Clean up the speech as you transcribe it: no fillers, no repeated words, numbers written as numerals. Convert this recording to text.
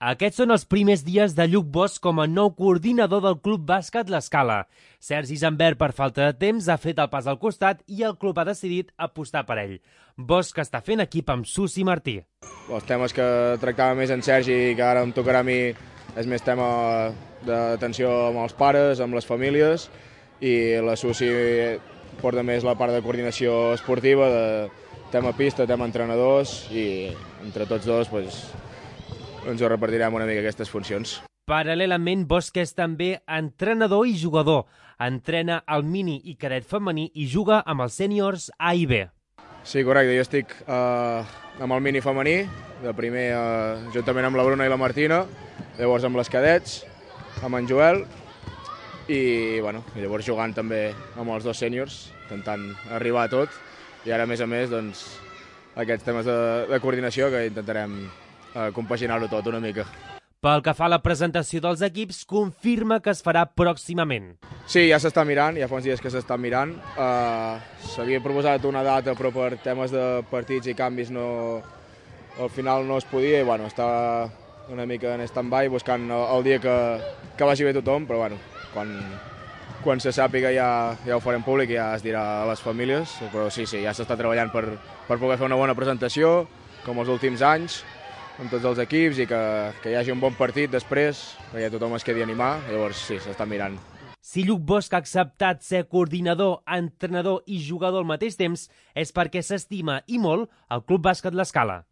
Aquests són els primers dies de Lluc Bosch com a nou coordinador del Club Bàsquet L'Escala. Sergi Zambert, per falta de temps, ha fet el pas al costat i el club ha decidit apostar per ell. Bosch està fent equip amb Susi Martí. Els temes que tractava més en Sergi i que ara em tocarà a mi és més tema d'atenció amb els pares, amb les famílies, i la Susi porta més la part de coordinació esportiva, de tema pista, tema entrenadors, i entre tots dos ens ho repartirem una mica aquestes funcions. Paral·lelament, Bosch és també entrenador i jugador. Entrena el mini i cadet femení i juga amb els sèniors A i B. Sí, correcte. Jo estic amb el mini femení, de primer juntament amb la Bruna i la Martina, llavors amb les cadets, amb en Joel, i llavors jugant també amb els dos sèniors, intentant arribar a tot, i ara, a més, aquests temes de coordinació que intentarem compaginar-ho tot una mica. Pel que fa a la presentació dels equips, confirma que es farà pròximament. Sí, ja s'està mirant, ja fa uns dies que s'està mirant. S'havia proposat una data, però per temes de partits i canvis al final no es podia, i està una mica en stand-by buscant el dia que vagi bé tothom, però quan se sàpiga ja ho farem públic i ja es dirà a les famílies, però sí, ja s'està treballant per poder fer una bona presentació, com els últims anys, amb tots els equips, i que hi hagi un bon partit després, perquè tothom es quedi a animar, llavors sí, s'està mirant. Si Lluc Bosch ha acceptat ser coordinador, entrenador i jugador al mateix temps, és perquè s'estima i molt el Club Bàsquet L'Escala.